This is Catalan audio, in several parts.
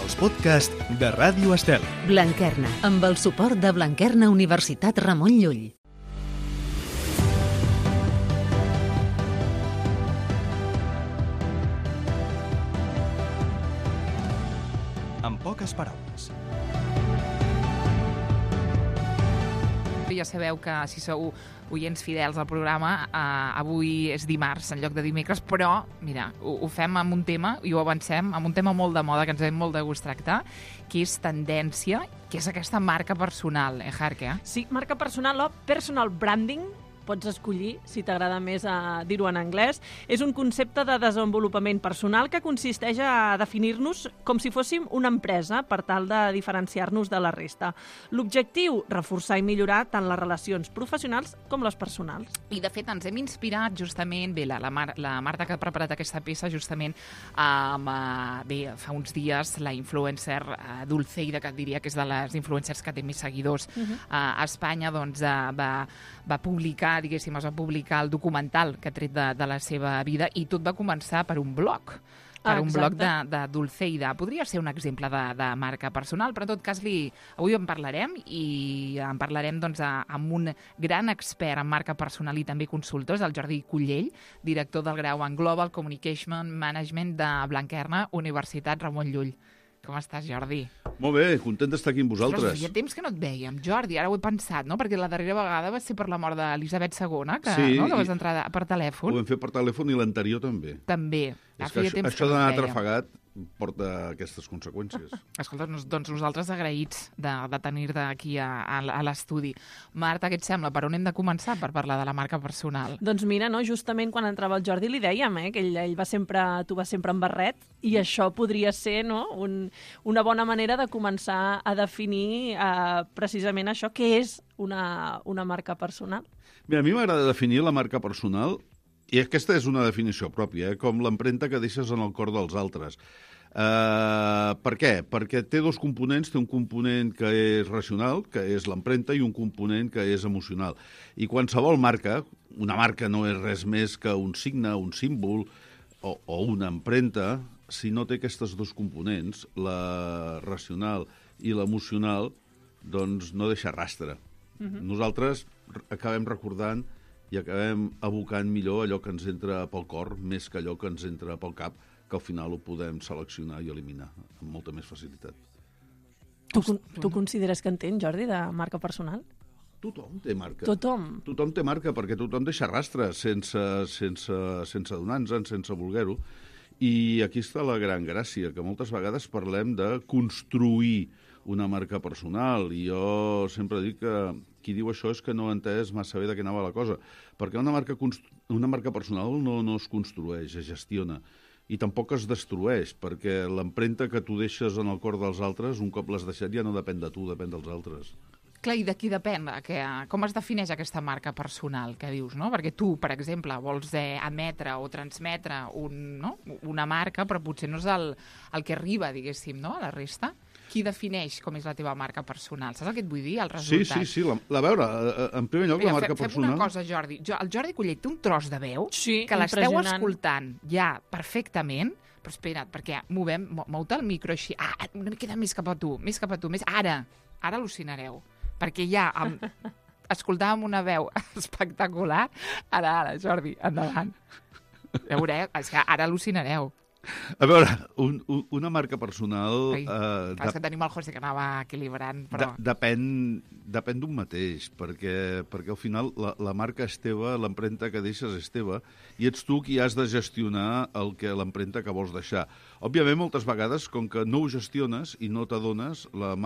els podcasts de Ràdio Estel. Blanquerna, amb el suport de Blanquerna Universitat Ramon Llull. En poques paraules. Ja sabeu que si sou oients fidels al programa, avui és dimarts en lloc de dimecres, però, mira, ho fem amb un tema, i ho avancem, amb un tema molt de moda, que ens hem molt de gust tractar, que és tendència, que és aquesta marca personal, Jarque? Sí, marca personal o personal branding, pots escollir si t'agrada més dir-ho en anglès. És un concepte de desenvolupament personal que consisteix a definir-nos com si fóssim una empresa per tal de diferenciar-nos de la resta. L'objectiu, reforçar i millorar tant les relacions professionals com les personals. I, de fet, ens hem inspirat justament, bé, la Marta que ha preparat aquesta peça justament bé, fa uns dies la influencer Dulceida, que et diria que és de les influencers que té més seguidors a Espanya, doncs va publicar, diguéssim, es va publicar el documental que ha tret de la seva vida, i tot va començar per un blog. Un blog de Dulceida. Podria ser un exemple de marca personal, però en tot cas avui en parlarem, i en parlarem doncs, amb un gran expert en marca personal i també consultor, el Jordi Cullell, director del grau en Global Communication Management de Blanquerna Universitat Ramon Llull. Com estàs, Jordi? Molt bé, content d'estar aquí amb vosaltres. Ostres, feia temps que no et vèiem, Jordi, ara ho he pensat, no? Perquè la darrera vegada va ser per la mort d'Elisabet II, que vas entrar per telèfon. Ho vam fer per telèfon, i l'anterior també. També. És que això d'anar atrafegat porta aquestes conseqüències. Escolta, doncs nosaltres agraïts de tenir-te aquí a l'estudi. Marta, què et sembla? Per on hem de començar per parlar de la marca personal? Doncs mira, no, justament quan entrava el Jordi li dèiem que tu vas sempre en barret, i això podria ser una bona manera de començar a definir precisament això, què és una marca personal. Mira, a mi m'agrada definir la marca personal, i aquesta és una definició pròpia, com l'empremta que deixes en el cor dels altres. Per què? Perquè té dos components. Té un component que és racional, que és l'empremta, i un component que és emocional. I qualsevol marca, una marca no és res més que un signe, un símbol o una empremta, si no té aquests dos components, la racional i l'emocional, doncs no deixa rastre. Nosaltres acabem recordant i acabem abocant millor allò que ens entra pel cor, més que allò que ens entra pel cap, que al final ho podem seleccionar i eliminar amb molta més facilitat. Tu consideres que entén, Jordi, de marca personal? Tothom té marca. Tothom té marca, perquè tothom deixa rastre sense adonar-nos-en, sense voler-ho. I aquí està la gran gràcia, que moltes vegades parlem de construir una marca personal, i jo sempre dic que qui diu això és que no ha entès massa bé de què anava la cosa, perquè una marca personal no es construeix, es gestiona, i tampoc es destrueix, perquè l'empremta que tu deixes en el cor dels altres, un cop l'has deixat, ja no depèn de tu, depèn dels altres. Clar, i de qui depèn? Com es defineix aquesta marca personal que dius, no? Perquè tu, per exemple, vols emetre o transmetre una marca, però potser no és el que arriba, diguéssim, no? A la resta. Qui defineix com és la teva marca personal? Saps el que et vull dir, el resultat? Sí. A veure, en primer lloc, la marca personal... Fem una cosa, Jordi. El Jordi Cullell té un tros de veu que l'esteu impressionant. escoltant ja perfectament, però espera't, perquè mou-te el micro així. Una miqueta més cap a tu, més. Ara al·lucinareu. Perquè ja escoltàvem una veu espectacular. Ara, Jordi, endavant. Veureu, és que ara al·lucinareu. A veure, una marca personal... És que tenim el José que anava equilibrant, però... Depèn d'un mateix, perquè al final la marca és teva, l'empremta que deixes és teva, i ets tu qui has de gestionar l'empremta que vols deixar. Òbviament, moltes vegades, com que no ho gestiones i no t'adones, la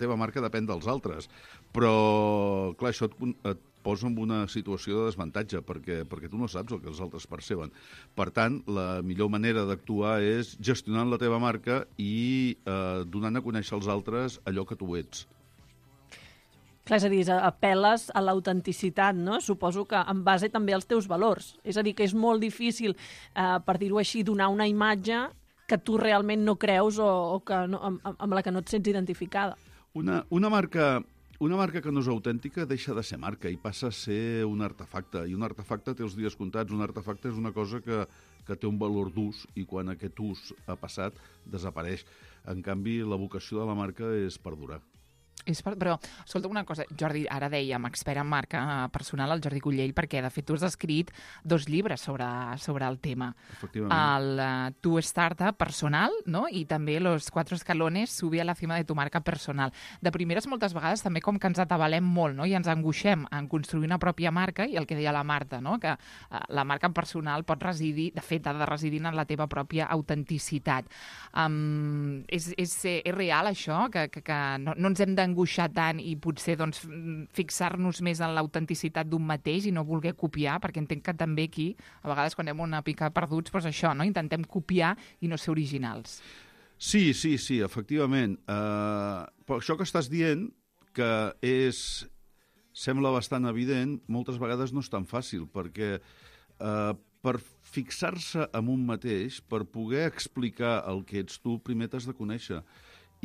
teva marca depèn dels altres. Però, clar, això et posa en una situació de desmuntatge, perquè tu no saps el que els altres perceben. Per tant, la millor manera d'actuar és gestionant la teva marca i donant a conèixer als altres allò que tu ets. Clar, és a dir, apel·les a l'autenticitat, no? Suposo que en base també als teus valors. És a dir, que és molt difícil, per dir-ho així, donar una imatge que tu realment no creus o que amb la que no et sents identificada. Una marca que no és autèntica deixa de ser marca i passa a ser un artefacte. I un artefacte té els dies comptats. Un artefacte és una cosa que que té un valor d'ús i quan aquest ús ha passat desapareix. En canvi, la vocació de la marca és perdurar. Però, escolta una cosa, Jordi, ara dèiem, expert en marca personal, el Jordi Cullell, perquè de fet tu has escrit 2 llibres sobre el tema. Efectivament. El Tu Startup personal, no? I també Los 4 escalones, sube a la cima de tu marca personal. De primeres, moltes vegades també com que ens atabalem molt, no? I ens angoixem en construir una pròpia marca, i el que deia la Marta, no? Que la marca personal pot residir, de fet, ha de residir en la teva pròpia autenticitat. És real això? Que no ens hem d'angoixar tant i potser doncs, fixar-nos més en l'autenticitat d'un mateix i no voler copiar, perquè entenc que també aquí, a vegades quan anem una pica perduts, doncs això, no? Intentem copiar i no ser originals. Sí, efectivament. Però això que estàs dient, que sembla bastant evident, moltes vegades no és tan fàcil, perquè per fixar-se en un mateix, per poder explicar el que ets tu, primer t'has de conèixer.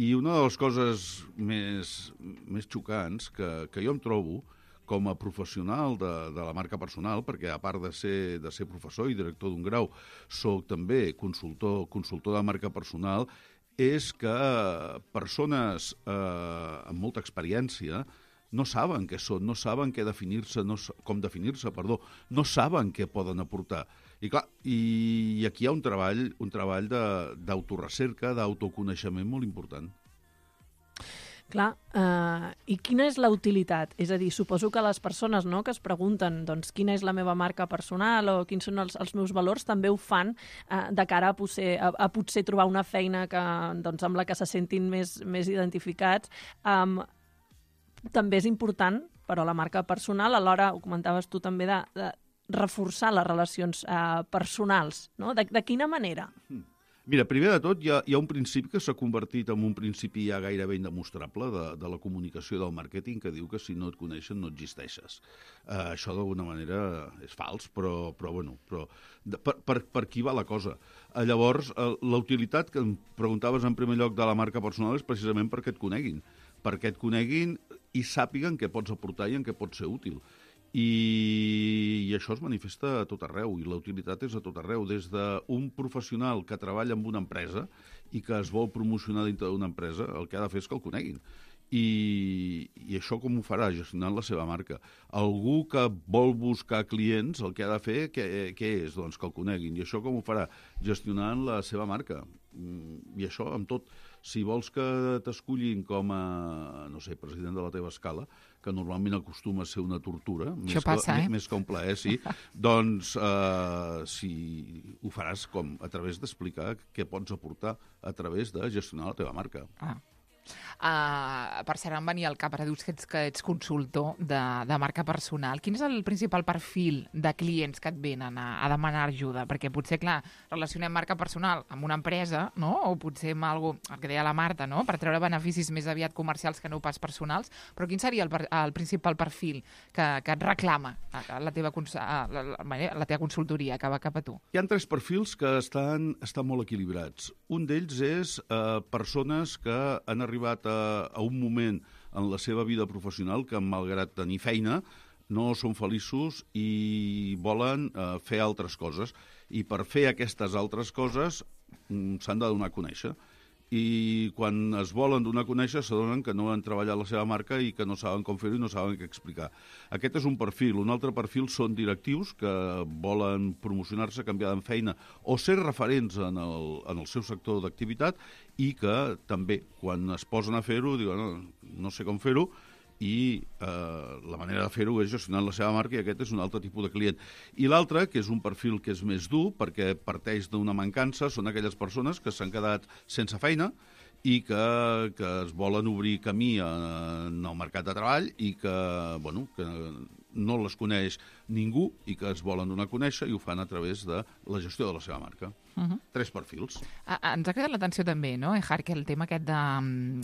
I una de les coses més xocants que jo em trobo com a professional de la marca personal, perquè a part de ser professor i director d'un grau, soc també consultor de marca personal, és que persones amb molta experiència no saben què són, no saben com definir-se, no saben què poden aportar. I clar, i aquí hi ha un treball d'autorecerca, d'autoconeixement molt important. Clar, i quina és la utilitat? És a dir, suposo que les persones, no, que es pregunten doncs, quina és la meva marca personal o quins són els meus valors, també ho fan de cara a potser trobar una feina doncs, amb la que se sentin més identificats. També és important, però la marca personal, alhora, ho comentaves tu també, de reforçar les relacions personals, no? De quina manera? Mira, primer de tot, hi ha un principi que s'ha convertit en un principi ja gairebé indemostrable de la comunicació del màrqueting, que diu que si no et coneixen no existeixes. Això d'alguna manera és fals, però per qui va la cosa? Llavors, la utilitat que em preguntaves en primer lloc de la marca personal és precisament perquè et coneguin i sàpiguen què pots aportar i en què pots ser útil. I això es manifesta a tot arreu, i la utilitat és a tot arreu, des d'un professional que treballa en una empresa i que es vol promocionar dintre d'una empresa, el que ha de fer és que el coneguin. I això com ho farà? Gestionant la seva marca. Algú que vol buscar clients, el que ha de fer, què és? Doncs que el coneguin. I això com ho farà? Gestionant la seva marca. I això amb tot. Si vols que t'escollin com a, no sé, president de la teva escala, que normalment acostuma a ser una tortura, més que un plaer, sí, doncs si ho faràs a través d'explicar què pots aportar a través de gestionar la teva marca. Per cert, em venia al cap, ara dius que ets consultor de marca personal. Quin és el principal perfil de clients que et venen a demanar ajuda? Perquè potser, clar, relacionem marca personal amb una empresa, no? O potser amb algo, el que deia la Marta, no? Per treure beneficis més aviat comercials que no pas personals. Però quin seria el principal perfil que et reclama la teva consultoria, que va cap a tu? Hi ha 3 perfils que estan molt equilibrats. Un d'ells és persones que han arribat a un moment en la seva vida professional que, malgrat tenir feina, no són feliços i volen fer altres coses. I per fer aquestes altres coses s'han de donar a conèixer. I quan es volen donar a conèixer s'adonen que no han treballat la seva marca i que no saben com fer-ho i no saben què explicar. Aquest és un perfil. Un altre perfil són directius que volen promocionar-se, canviar de feina o ser referents en el seu sector d'activitat i que també, quan es posen a fer-ho, diuen no sé com fer-ho, i la manera de fer-ho és gestionant la seva marca, i aquest és un altre tipus de client. I l'altre, que és un perfil que és més dur, perquè parteix d'una mancança, són aquelles persones que s'han quedat sense feina i que es volen obrir camí en el mercat de treball i que no les coneix ningú i que es volen donar a conèixer i ho fan a través de la gestió de la seva marca. 3 perfils. Ens ha cridat l'atenció també, no, Harque, el tema aquest de...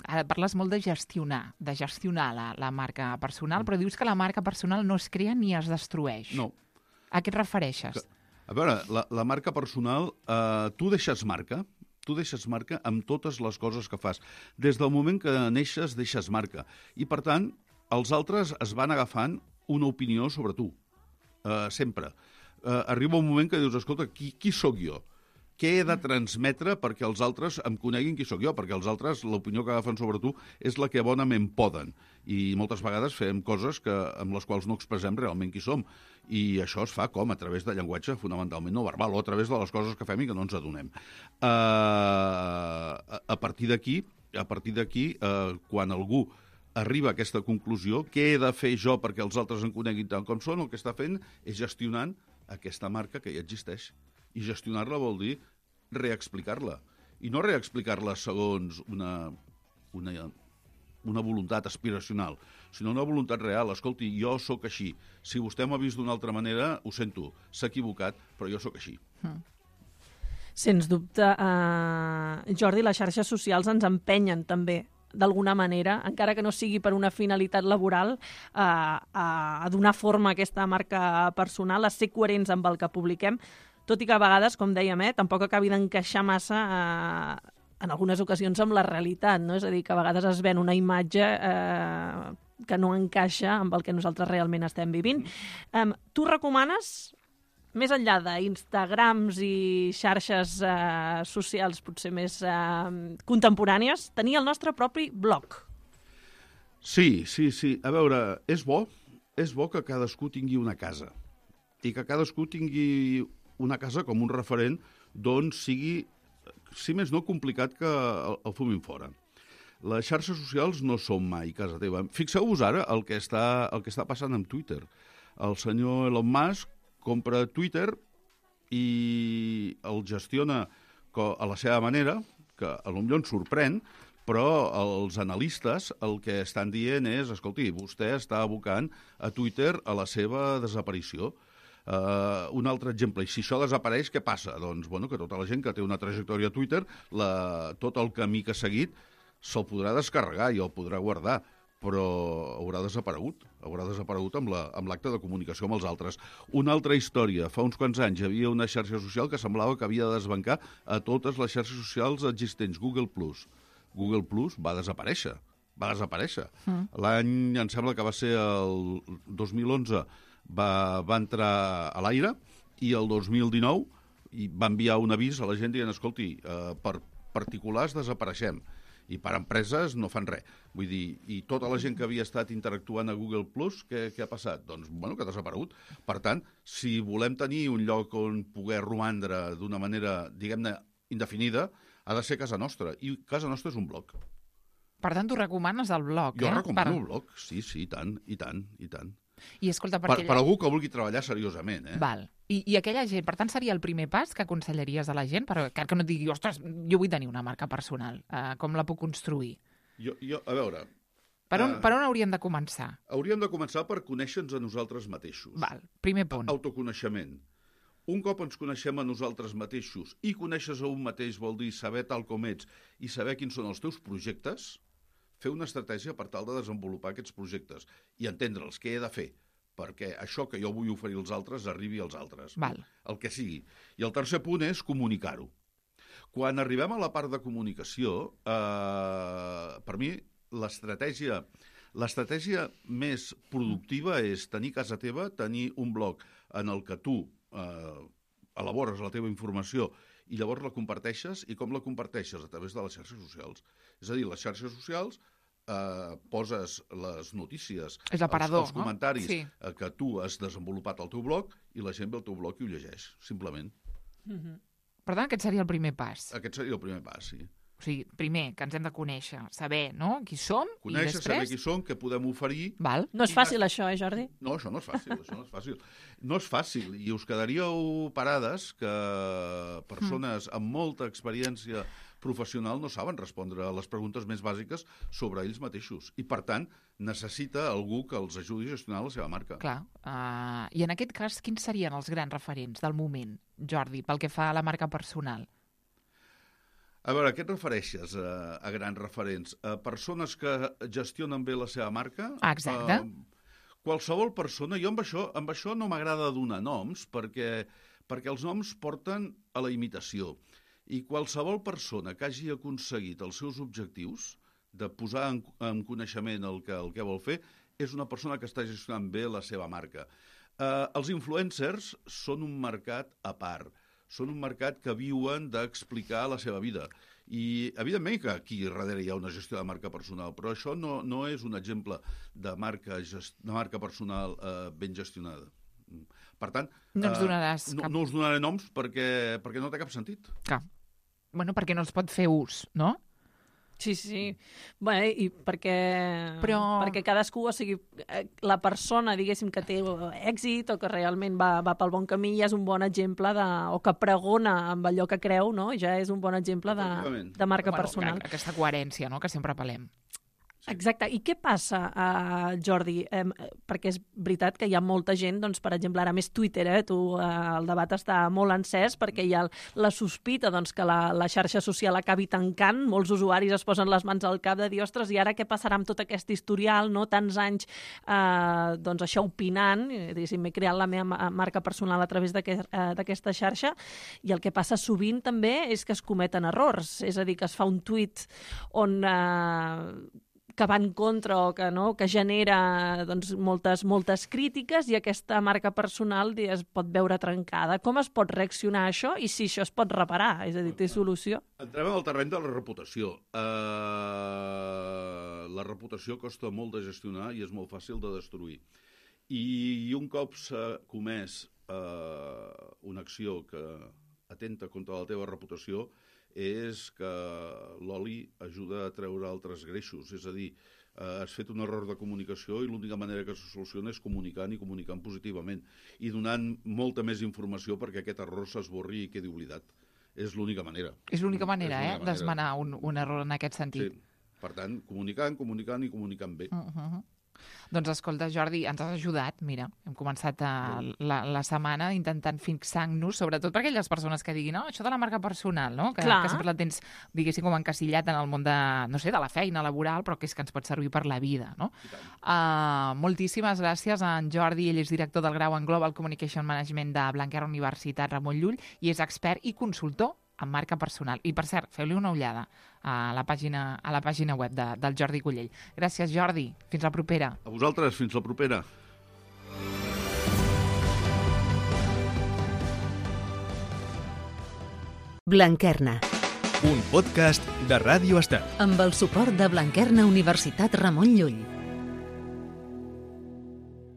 Ara parles molt de gestionar la marca personal, però dius que la marca personal no es crea ni es destrueix. No. A què et refereixes? A veure, la marca personal, tu deixes marca amb totes les coses que fas. Des del moment que neixes, deixes marca. I, per tant, els altres es van agafant una opinió sobre tu. Sempre. arriba un moment que dius, escolta, qui sóc jo? Què he de transmetre perquè els altres em coneguin qui sóc jo? Perquè els altres, l'opinió que agafen sobre tu és la que bonament poden. I moltes vegades fem coses amb les quals no expressem realment qui som. I això es fa com? A través de llenguatge fonamentalment no verbal o a través de les coses que fem i que no ens adonem. A partir d'aquí, quan algú arriba a aquesta conclusió, què he de fer jo perquè els altres em coneguin tant com són? El que està fent és gestionant aquesta marca que ja existeix. I gestionar-la vol dir reexplicar-la. I no reexplicar-la segons una voluntat aspiracional, sinó una voluntat real. Escolti, jo sóc així. Si vostè m'ha vist d'una altra manera, ho sento, s'ha equivocat, però jo sóc així. Sens dubte, Jordi, les xarxes socials ens empenyen també d'alguna manera, encara que no sigui per una finalitat laboral, a donar forma a aquesta marca personal, a ser coherents amb el que publiquem, tot i que a vegades, com dèiem, tampoc acabi d'encaixar massa en algunes ocasions amb la realitat, no? És a dir, que a vegades es ven una imatge que no encaixa amb el que nosaltres realment estem vivint. Tu recomanes, més enllà d'Instagrams i xarxes socials potser més contemporànies, tenir el nostre propi blog? Sí. A veure, és bo que cadascú tingui una casa i que cadascú tingui una casa com un referent d'on sigui, si més no, complicat que el fumin fora. Les xarxes socials no són mai casa teva. Fixeu-vos ara el que està passant amb Twitter. El senyor Elon Musk compra Twitter i el gestiona a la seva manera, que potser ens sorprèn, però els analistes el que estan dient és, escolti, vostè està abocant a Twitter a la seva desaparició. Un altre exemple, i si això desapareix, què passa? Doncs que tota la gent que té una trajectòria a Twitter, tot el camí que ha seguit, se'l podrà descarregar i el podrà guardar, però haurà desaparegut amb l'acte de comunicació amb els altres. Una altra història, fa uns quants anys hi havia una xarxa social que semblava que havia de desbancar a totes les xarxes socials existents, Google+. Google Plus va desaparèixer. L'any, em sembla que va ser el 2011, va entrar a l'aire i el 2019 va enviar un avís a la gent dient, escolti, per particulars desapareixem i per empreses no fan res. Vull dir, i tota la gent que havia estat interactuant a Google Plus, què ha passat? Doncs, que ha desaparegut. Per tant, si volem tenir un lloc on poder romandre d'una manera, diguem-ne, indefinida, ha de ser casa nostra. I casa nostra és un blog. Per tant, tu recomanes el blog, Jo recomano el blog, sí, i tant. I escolta, per algú que vulgui treballar seriosament, Val. I aquella gent, per tant, seria el primer pas que aconsellaries a la gent? Que no digui, ostres, jo vull tenir una marca personal. Com la puc construir? A veure... Per on hauríem de començar? Hauríem de començar per conèixer-nos a nosaltres mateixos. Val, primer punt. Autoconeixement. Un cop ens coneixem a nosaltres mateixos i coneixes a un mateix vol dir saber tal com ets i saber quins són els teus projectes, fer una estratègia per tal de desenvolupar aquests projectes i entendre'ls, què he de fer perquè això que jo vull oferir als altres arribi als altres. Val. El que sigui. I el tercer punt és comunicar-ho. Quan arribem a la part de comunicació, per mi, l'estratègia més productiva és tenir casa teva, tenir un blog en el que tu elabores la teva informació i llavors la comparteixes, i com la comparteixes? A través de les xarxes socials. És a dir, les xarxes socials poses les notícies, els comentaris que tu has desenvolupat al teu blog i la gent ve al teu blog i ho llegeix, simplement. Per tant, aquest seria el primer pas. Aquest seria el primer pas, sí. O sigui, primer, que ens hem de conèixer, saber, no?, qui som, conèixer, i després... saber qui som, què podem oferir... Val. No és fàcil, això, Jordi? No, això no és fàcil, No és fàcil, i us quedaríeu parades que persones amb molta experiència professional no saben respondre a les preguntes més bàsiques sobre ells mateixos. I, per tant, necessita algú que els ajudi a gestionar la seva marca. Clar. I en aquest cas, quins serien els grans referents del moment, Jordi, pel que fa a la marca personal? A veure, què et refereixes a grans referents? A persones que gestionen bé la seva marca? Exacte. Qualsevol persona... Jo amb això no m'agrada donar noms, perquè els noms porten a la imitació. I qualsevol persona que hagi aconseguit els seus objectius, de posar en coneixement el que vol fer, és una persona que està gestionant bé la seva marca. Els influencers són un mercat a part. Són un mercat que viuen d'explicar la seva vida. I, evidentment, que aquí darrere hi ha una gestió de marca personal, però això no és un exemple de marca personal ben gestionada. Per tant, no ens donaràs no us donaré noms perquè no té cap sentit. Clar. Bueno, perquè no els pot fer ús, no? Sí. Bé, i perquè cadascú, o sigui, la persona, diguéssim, que té èxit o que realment va pel bon camí ja és un bon exemple o que pregona amb allò que creu, no? Ja és un bon exemple de marca personal. Aquesta coherència, no?, que sempre apel·lem. Exacte. I què passa, Jordi? Perquè és veritat que hi ha molta gent, doncs, per exemple, ara més Twitter, el debat està molt encès perquè hi ha la sospita que la xarxa social acabi tancant, molts usuaris es posen les mans al cap de dir, ostres, i ara què passarà amb tot aquest historial, no? Tants anys això opinant, m'he creat la meva marca personal a través d'aquesta xarxa, i el que passa sovint també és que es cometen errors, és a dir, que es fa un tuit on que va en contra o que genera moltes crítiques i aquesta marca personal es pot veure trencada. Com es pot reaccionar a això i si això es pot reparar? És a dir, té solució? Entrem al terreny de la reputació. La reputació costa molt de gestionar i és molt fàcil de destruir. I un cop s'ha comès una acció que atenta contra la teva reputació, és que l'oli ajuda a treure altres greixos. És a dir, has fet un error de comunicació i l'única manera que se soluciona és comunicant i comunicant positivament i donant molta més informació perquè aquest error s'esborri i quedi oblidat. És l'única manera. És l'única manera, d'esmenar un error en aquest sentit. Sí. Per tant, comunicant i comunicant bé. Doncs escolta, Jordi, ens has ajudat. Mira, hem començat la setmana intentant fixar-nos, sobretot per aquelles persones que diguin això de la marca personal, no? Que sempre la tens, diguéssim, com encasillat en el món de la feina laboral, però que és que ens pot servir per la vida, no? Moltíssimes gràcies a en Jordi, ell és director del grau en Global Communication Management de Blanquerna Universitat Ramon Llull i és expert i consultor en marca personal. I, per cert, feu-li una ullada a la pàgina web del Jordi Cullell. Gràcies, Jordi. Fins la propera. A vosaltres, fins la propera. Blanquerna. Un podcast de Ràdio Estel. Amb el suport de Blanquerna Universitat Ramon Llull.